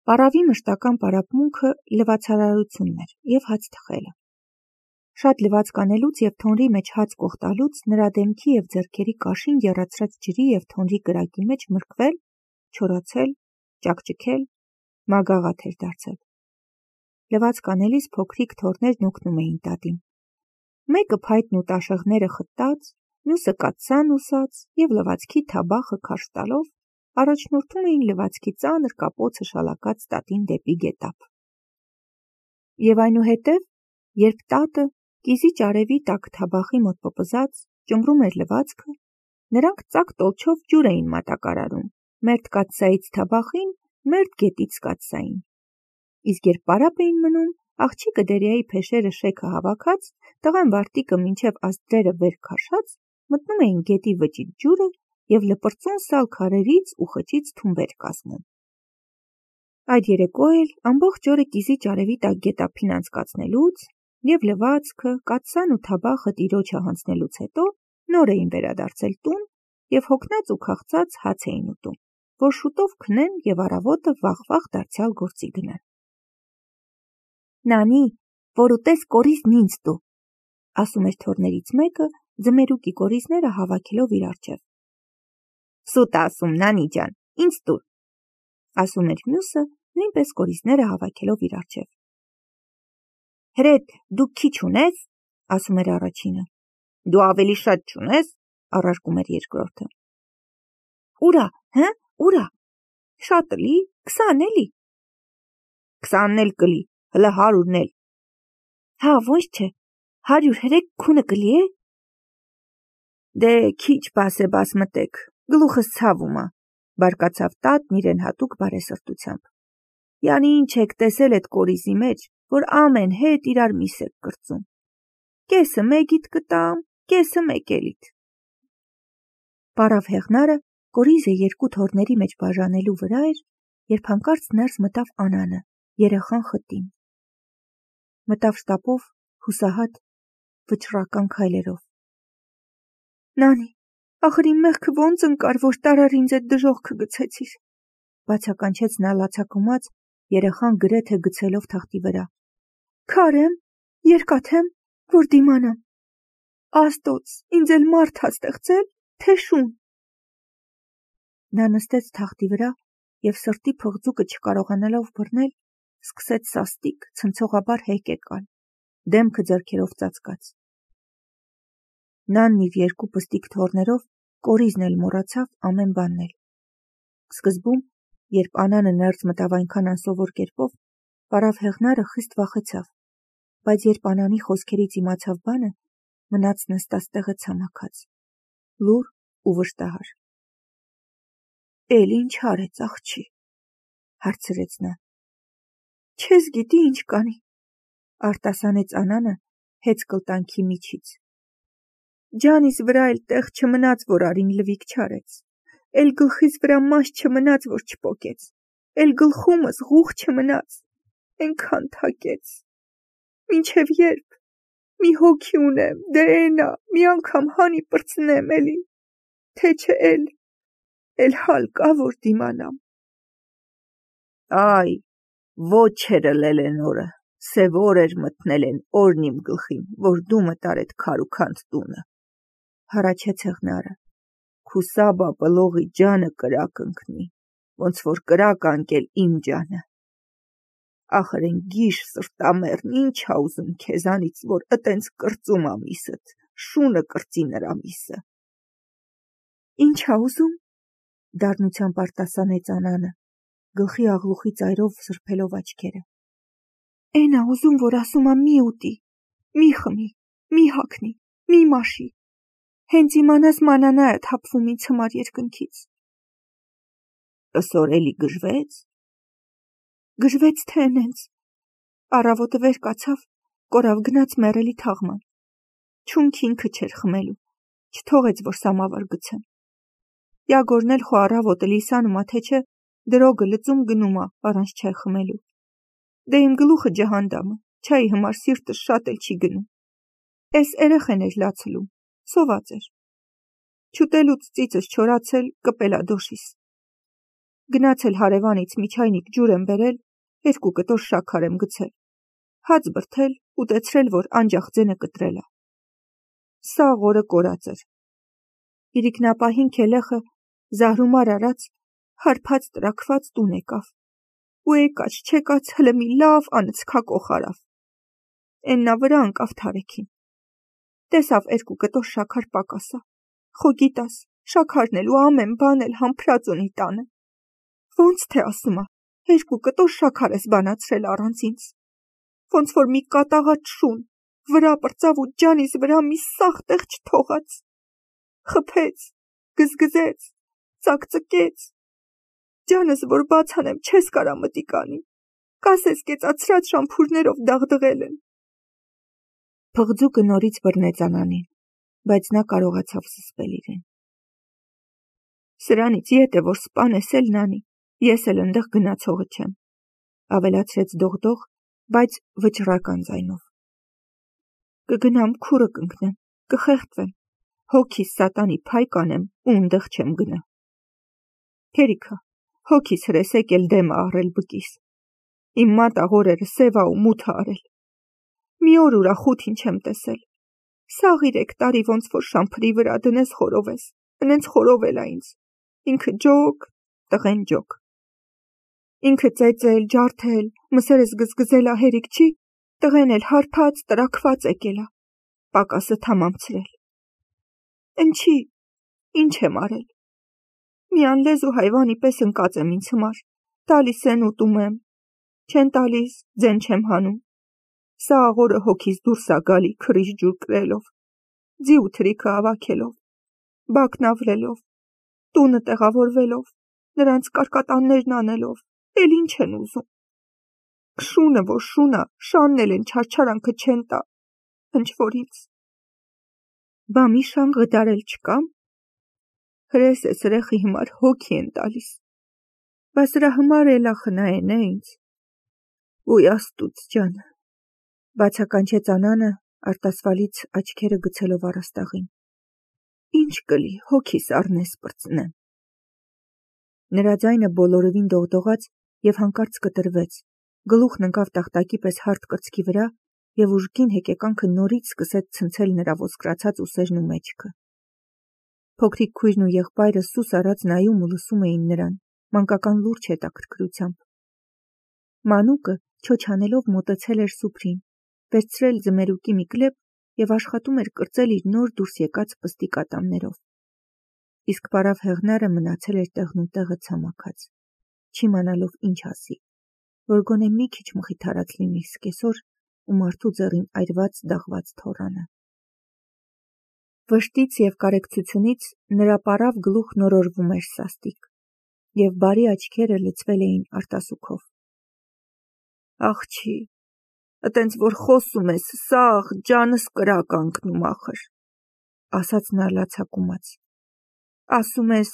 Պարավի մշտական պարապմունքը լվացարարությունն էր և հաց թխելը։ Շատ լվաց կանելուց և թոնրի մեջ հաց կողտալուց նրա դեմքի և ձեռքերի կաշին եռացրած ջրի և թոնրի կրակի մեջ մրգվել, չորացել, ճաքճքել, մագաղաթ էր դարձել։ Լվաց կանելիս փոքրիկ թոռներն օգնում էին տատին։ Մեկը փայտն ու տաշեղները խտած, մյուսը կաթսան ուսած և լվացքի թաբախը քարշ տալով առաջնորդում էին լվացքի ծանր կապոցը շալակած տատին դեպի գետափ։ Եվ այնուհետև, երբ տատը կիզի ճարևի տակ թաբախի մոտ պպզած ճմռում էր լվացքը, նրանք ծակ տոլչով ջուր էին մատակարարում, մերթ կաթսայից թաբախին, մերթ գետից կաթսային։ Իսկ երբ պարապ էին մնում, աղջիկը Դերյայի փեշերը շեքը հավաքած, տղան վարտիքը մինչև ազդրերը վեր քաշած, մտնում էին գետի վճիտ ջուրը և լպրծուն սալ քարերից ու խճից թումբեր կազմում։ Այդ երեկո էլ ամբողջ օրը կիզի ճարևի տակ գետափին անցկացնելուց և լվացքը, կաթսան ու թաբախը տիրոջը հանձնելուց հետո նոր էին վերադարձել տուն և հոգնած ու քաղցած հաց էին ուտում, որ շուտով քնեն և առավոտը վաղ դարձյալ գործի գնան։ «Նանի, որ ուտես կորիզն ինձ տու», ասում էր թոռներից մեկը, ձմերուկի կորիզները հավաքելով իր առջև։ «Սուտ ասում, Նանի ջան, ինձ տուր», ասում էր մյուսը, նույնպես կորիզները հավաքելով իր առջև։ «Հրետ, դու քիչ ունես», ասում էր առաջինը։ «Դու ավելի շատ չունես», առարկում էր երկրորդը։ «Ուրա, հը, ուրա, շատ լի, 20 էլի»։ 20-ն էլ կլի, հլը 100-ն էլ։ Հա, ոնց չէ, 100 հրեկ քունը կլի է։ Դե քիչ բաս մտեք, գլուխս ցավում ա, բարկացավ տատն իրեն հատուկ բարեսրտությամբ։ Յանի ինչ եք տեսել էդ կորիզի մեջ, որ ամեն հետ իրար միս եք կրծում։ Կեսը մեկիդ կտամ, կեսը մեկ էլիդ։ Պարավ հեղնարը կորիզը երկու թոռների մեջ բաժանելու վրա էր, երբ հանկարծ ներս մտավ Անանը, երեխան խտին։ Մտավ շտապով, հուսահատ, վճռական քայլերով։ Նանի, ախր իմ մեղքը ոնց ընկար, որ տարար ինձ այդ դժողքը գցեցիր, բացականչեց նա լացակումած, երեխան գրեթե գցելով թղթի վրա։ Քարեմ, երկաթեմ, որ դիմանամ։ Աստոց, ինձ էլ մարդ ա ստեղծել, թե շուն։ Նա նստեց թղթի վրա և սրտի փղձուկը չկարողանալով բռնել, սկսեց սաստիկ, ցնցողաբար հեկեկալ, դեմքը ձեռքերով ծածկած։ Նանն իր երկու պստիկ թոռներով կորիզն էլ մոռացավ ամեն բանն էլ։ Սկզբում, երբ Անանը ներս մտավ այնքան անսովոր կերպով, պարավ հեղնարը խիստ վախեցավ, բայց երբ Անանի խոսքերից իմացավ բանը, մնաց նստած տեղը ցամաքած, լուռ ու վշտահար։ Էլ ինչ արեց աղջի, հարցրեց նա։ Չես գիտի ինչ կանի, արտասանեց Անանը հեծկլտանքի միջից։ Ջանիս վրա էլ տեղ չմնաց, որ արին լվիկ չարեց, էլ գլխիս վրա մաս չմնաց, որ չպոկեց, էլ գլխումս ղուղ չմնաց, ենքան թակեց։ Մինչև երբ, մի հոգի ունեմ, դե էնա, մի անգամ հանի պրծնեմ էլի, թե չէ էլ հալ կա, որ դիմանամ։ Այ, ոչերը լելեն օրը, սև օր էր մտնել են օրն իմ գլխին, որ դու մտար էդ քարուքանդ տունը, հառաչեց հեղնարը, քուսաբա պլողի ջանը կրակ ընկնի, ոնց որ կրակ անկել իմ ջանը։ Ախր են գիշ սրտամերն ինչ ա ուզում քեզանից, որ ըտենց կրծում ա միսըդ, շունը կրծի նրա միսը։ Ինչ ա ուզում, դառնությամբ արտասանեց Անանը, գլխի աղլուխի ծայրով սրբելով աչքերը։ Էն ա ուզում, որ ասում ա մի ուտի, մի խմի, մի հագնի, մի մաշի, հենց իմանաս մանանա է թափվում ինձ համար երկնքից։ Ըսօր էլի գժվեց։ Գժվեց թե էնենց, առավոտը վեր կացավ, կորավ գնաց մեռելի թաղման, չունք ինքը չէր խմելու, չթողեց, որ սամավար գցեմ։ Յագորն էլ խո առավոտը լիսանում ա, թե չէ, դրոգը լծում գնում ա, առանց չայ խմելու։ Դե իմ գլուխը ջհանդամը, չայի համար սիրտս շատ էլ չի գնում։ Էս երեխեն էր լացլում, սոված էր։ Չուտելուց ծիծս չորացել, կպել ա դոշիս։ Գնացել հարևանից միջայնիկ ջուր եմ բերել, 2 կտոր շաքար եմ գցել, հաց բրդել, ուտեցրել, որ անջախ ձենը կտրել է։ Սաղ օրը կորած էր։ Իրիկնապահին քելեխը զահրումար արած, հարբած տրակված տուն եկավ, ու եկաց չեկաց հլը մի լավ անցքակոխ արավ։ Էննա վրա անկավ թարեքին։ Տեսավ 2 կտոր շաքար պակասա, խո գիտաս, շաքարն էլ ու ամեն բան էլ համբրած ունի տանը։ Ոնց թե ասում ա, 2 կտոր շաքար ես բանացրել առանց ինձ։ Ոնց որ մի կատաղած շուն, վրա պրծավ ու ջանիս վրա մի սաղ տեղ չթողած։ Խփեց, գզգզեց, ծակծկեց։ Ջանս որ բաց անեմ չես կարա մտիկ անի, կասես կեցացրած շամփուրներով դաղդղել են։ Փղձուկը նորից բռնեց Անանին, բայց նա կարողացավ զսպել իրեն։ Սրանից ետ է, որ սպանես էլ նանի, ես էլ ընդեղ գնացողը չեմ, ավելացրեց դողդող, բայց վճռական ձայնով։ Կգնամ քուրը կընկնեմ, կխեղդվեմ, հոգիս սատանի փայ կանեմ ու ընդեղ չեմ գնա։ Հերիքա, հոգիս հրեսեկ էլ դեմ աղրել բկիս։ Իմ մատաղորերը սևա ու մութ արել։ Մի օր ուրախութին չեմ տեսել։ Սաղ 3 տարի ոնց որ շամփրի վրա դնես խորովես, ընենց խորովել ա ինձ։ Ինքը ջոկ, տղեն ջոկ։ Ինքը ծեծել, ջարդել, մսերս գզգզել ա հերիք չի, տղեն էլ հարբած, տրակված եկել ա, պակասը թամամցրել։ Ընչի, ինչ եմ արել։ Մի անլեզու հայվանի պես ընկած եմ ինձ համար, տալիս են ուտում եմ, չեն տալիս, ձեն չեմ հանում։ Սա աղորը հոգիս դուրս ա գալի քրիչ ջուր կրելով, ձի ու թրիքը ավաքելով, բակնավլելով, տունը տեղավորվելով, նրանց կարկատաններն անելով, էլ ինչ են ուզում։ Շունը որ շունա, շանն էլ են չարչարանքը չեն տա, հնչ որ ինձ։ Բա մի շան գդարել չկամ։ Հրես է սրեխի հիմար հոգի են տալիս։ Բա սրա հիմար էլա խնայեն է ինձ։ Ոյ աստուծ ջան, բացականչեց Անանը արտասվալից աչքերը գցելով առաստաղին։ Ինչ կլի, հոգիս առնես պրծնեմ։ Նրա ձայնը բոլորովին դողդողաց և հանկարծ կտրվեց, գլուխն ընկավ տախտակի պես հարթ կրծքի վրա և ուժգին հեկեկանքը նորից սկսեց ցնցել նրա ոսկրացած ուսերն ու մեջքը։ Փոքրիկ քույրն ու եղբայրը սուս արած նայում ու լսում էին նրան, մանկական լուրջ հետաքրքրությամբ։ Մանուկը չոչանելով մոտեցել էր Սուփրին, վերցրել ձմերուկի մի կլեպ և աշխատում էր կրծել իր նոր դուրս եկած պստիկ ատամներով։ Իսկ պարավ Հեղնարը մնացել էր տեղնուտեղը ցամաքած, չիմանալով ինչ ասի, որ գոնե մի քիչ մխիթարած լինի սկեսոր ու մարդու ձեռին այրված դաղված թոռանը։ Վշտից և կարեկցությունից նրա պարավ գլուխն օրորվում էր սաստիկ, և բարի աչքերը լցվել էին արտասուքով։ Աղջի, ըտենց որ խոսում ես, սաղ ջանս կրակ անկնում ախր, ասաց նա լացակումած։ Ասում ես,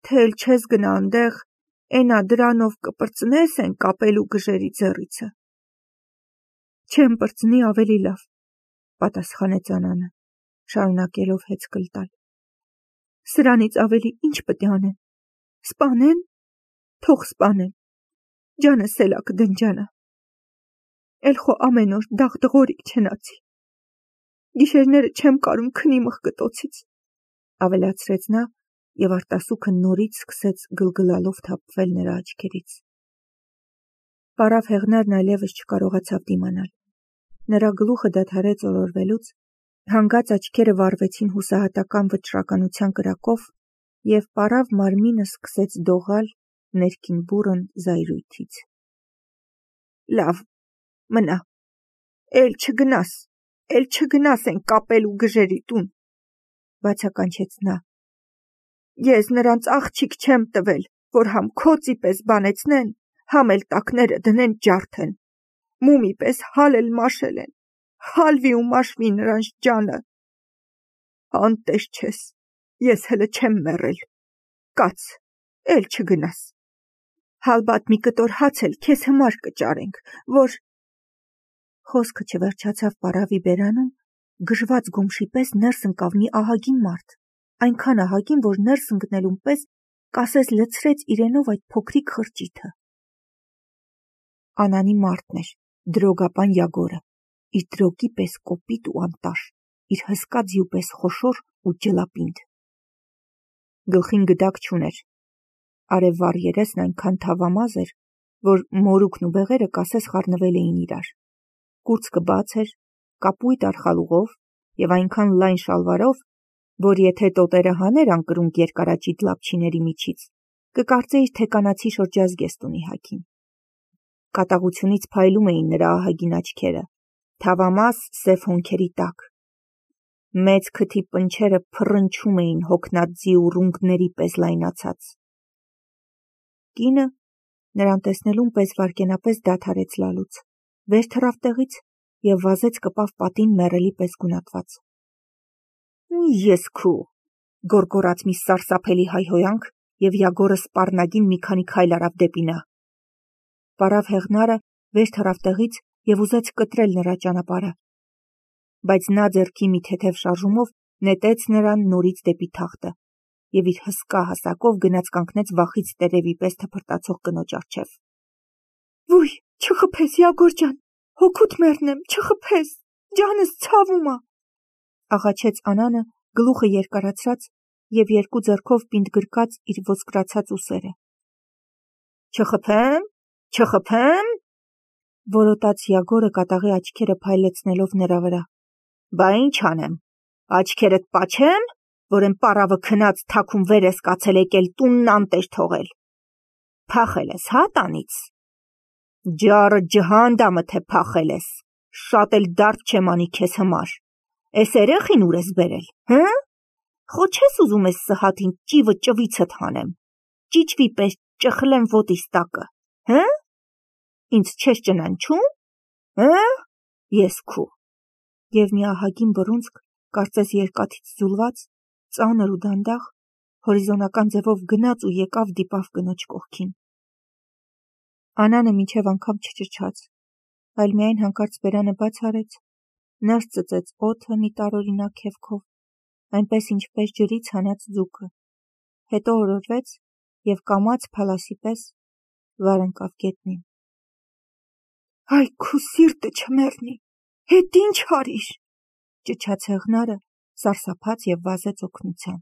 թե էլ չես գնա անդեղ, էնա դրանով կպրծնես են կապելու գժերի ձեռիցը։ Չեմ պրծնի ավելի լավ, պատասխանեց Անանը, շարունակելով հեծկլ տալ։ Սրանից ավելի ինչ պտի անեն։ Սպանեն, թող սպանեն, ջանս էլա կդնջանա։ Էլ խո ամեն օր դաղդղորիկ չենացի։ Գիշերները չեմ կարում քնի մխկտոցից, ավելացրեց նա և արտասուքը նորից սկսեց գլգլալով թափվել նրա աչքերից։ Պարավ Հեղնարն այլևս չկարողացավ դիմանալ։ Նրա գլուխը դադարեց օրորվելուց, հանգած աչքերը վառվեցին հուսահատական վճռականության կրակով, և պարավ մարմինը սկսեց դողալ ներքին բուռն զայրույթից։ Լավ, մնա, էլ չգնաս են կապելու գժերի տուն, բացականչեց նա։ Ես նրանց աղջիկ չեմ տվել, որ համ քոցի պես բանեցնեն, համ էլ տակները դնեն ջարդեն, մումի պես հալ էլ մաշել են, հալվի ու մաշվի նրանց ջանը։ Անտես չես, ես հլը չեմ մեռել, կաց, էլ չգնաս։ Հալբատ մի կտոր հաց էլ քեզ համար կճարենք, որ… Խոսքը չվերջացավ պարավի բերանում, գժված գոմշի պես ներս ընկավ մի ահագին մարդ, այնքան ահագին, որ ներս ընկնելուն պես կասես լցրեց իրենով այդ փոքրիկ խրճիթը։ Անանի մարդն էր, դրոգապան Յագորը, իր դրոգի պես կոպիտ ու անտաշ, իր հսկա ձիու պես խոշոր ու ջլապինդ։ Գլխին գդակ չուներ, արևվառ երեսն այնքան թավամազ էր, որ մորուքն ու բեղերը կասես խառնվել էին իրար։ Կուրծքը բաց էր, կապույտ արխալուղով և այնքան լայն շալվարով, որ եթե տոտերը հաներ անկրունկ երկարաճիտ լապչիների միջից, կկարծեիր, թե կանացի շրջազգեստ ունի հագին։ Կատաղությունից փայլում էին նրա ահագին աչքերը, թավամաս սև հոնքերի տակ։ Մեծ քթի պնչերը փռնչում էին հոգնածի ուռունկների պես լայնացած։ Կինը նրան տեսնելուն պես վայրկենապես դադարեց լալուց, վեր թռավ տեղից և վազեց կպավ պատին մեռելի պես գունատված։ Ես քու, գոռգոռաց մի սարսափելի հայհոյանք, և Յագորը սպառնագին մի քանի քայլ արավ դեպի նա։ Պարավ հեղնարը վեր թռավ տեղից և ուզեց կտրել նրա ճանապարհը, բայց նա ձեռքի մի թեթև շարժումով նետեց նրան նորից դեպի թախտը և իր հսկա հասակով գնաց կանգնեց վախից տերևի պես թփրտացող կնոջ առջև։ Ոյ, չխփես, Յագոր ջան, հոգուդ մեռնեմ, չխփես, ջանս ցավում ա, աղաչեց Անանը գլուխը երկարացրած և երկու ձեռքով պինդ գրկած իր ոսկրացած ուսերը։ Չխփեմ, չխփեմ, որոտաց Յագորը կատաղի աչքերը փայլեցնելով նրա վրա։ Բա ինչ անեմ, աչքերդ պաչեմ, որ եմ պառավը քնած թաքում վեր ես կացել եկել տունն անտեր թողել։ Փախել ես, հա, տանից։ Ջառը ջհանդամը թե փախել ես, շատ էլ դարդ չեմ անի քեզ համար։ Էս երեխին ուր ես բերել, հը՞։ Խո չես ուզում ես սհաթին ճիվը ճվիցդ հանեմ, ճիճվի պես ճխլեմ ոտիս տակը, հը՞։ Ինձ չես ճնանչում, հը՞։ Ես քու։ Եվ մի ահագին բռունցք, կարծես երկաթից ձուլված, ծանր ու դանդաղ, հորիզոնական ձևով գնաց ու եկավ դիպավ կնոջ կողքին։ Անանը մինչև անգամ չճչաց, այլ միայն հանկարծ բերանը բաց արեց, ներս ծծեց օդը մի տարօրինակ քևքով, այնպես ինչպես ջրից հանած ձուկը, հետո օրորվեց և կամաց փալասի պես վար ընկավ գետնին։ Այ քու սիրտը չմեռնի, հետ ինչ արիր, ճչաց հեղնարը, սարսափած և վազեց օգնության։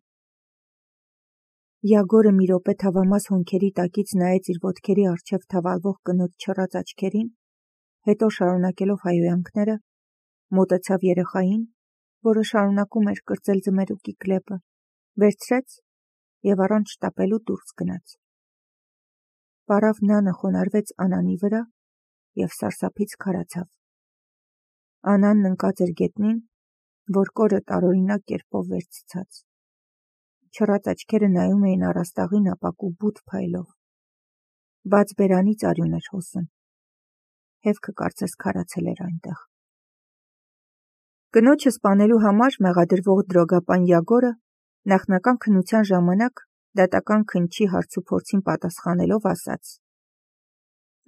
Յագորը մի րոպե թավամաս հոնքերի տակից նայեց իր ոտքերի առջև թավալվող կնոջ չռած աչքերին, հետո շարունակելով հայհոյանքները, մոտեցավ երեխային, որը շարունակում էր կրծել ձմերուկի կլեպը, վերցրեց և առանց շտապելու դուրս գնաց։ Պարավ նանը խոնարհվեց Անանի վրա և սարսափից քարացավ։ Անանն ընկած էր գետնին, որ կորը տարօրինակ կերպով վերցցած։ Չռած աչքերը նայում էին առաստաղին ապակու բութ փայլով։ Բաց բերանից արյուն էր հոսում։ Հևքը կարծես քարացել էր այնտեղ։ Կնոջը սպանելու համար մեղադրվող դրոգապան Յագորը նախնական քննության ժամանակ դատական քննչի հարցուփորձին պատասխանելով ասաց.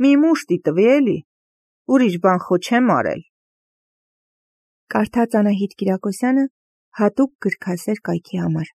Մի մուշտի տվի էլի, ուրիշ բան խո չեմ արել։ Կարդաց Անահիտ Կիրակոսյանը հատուկ գրքասեր կայքի համար։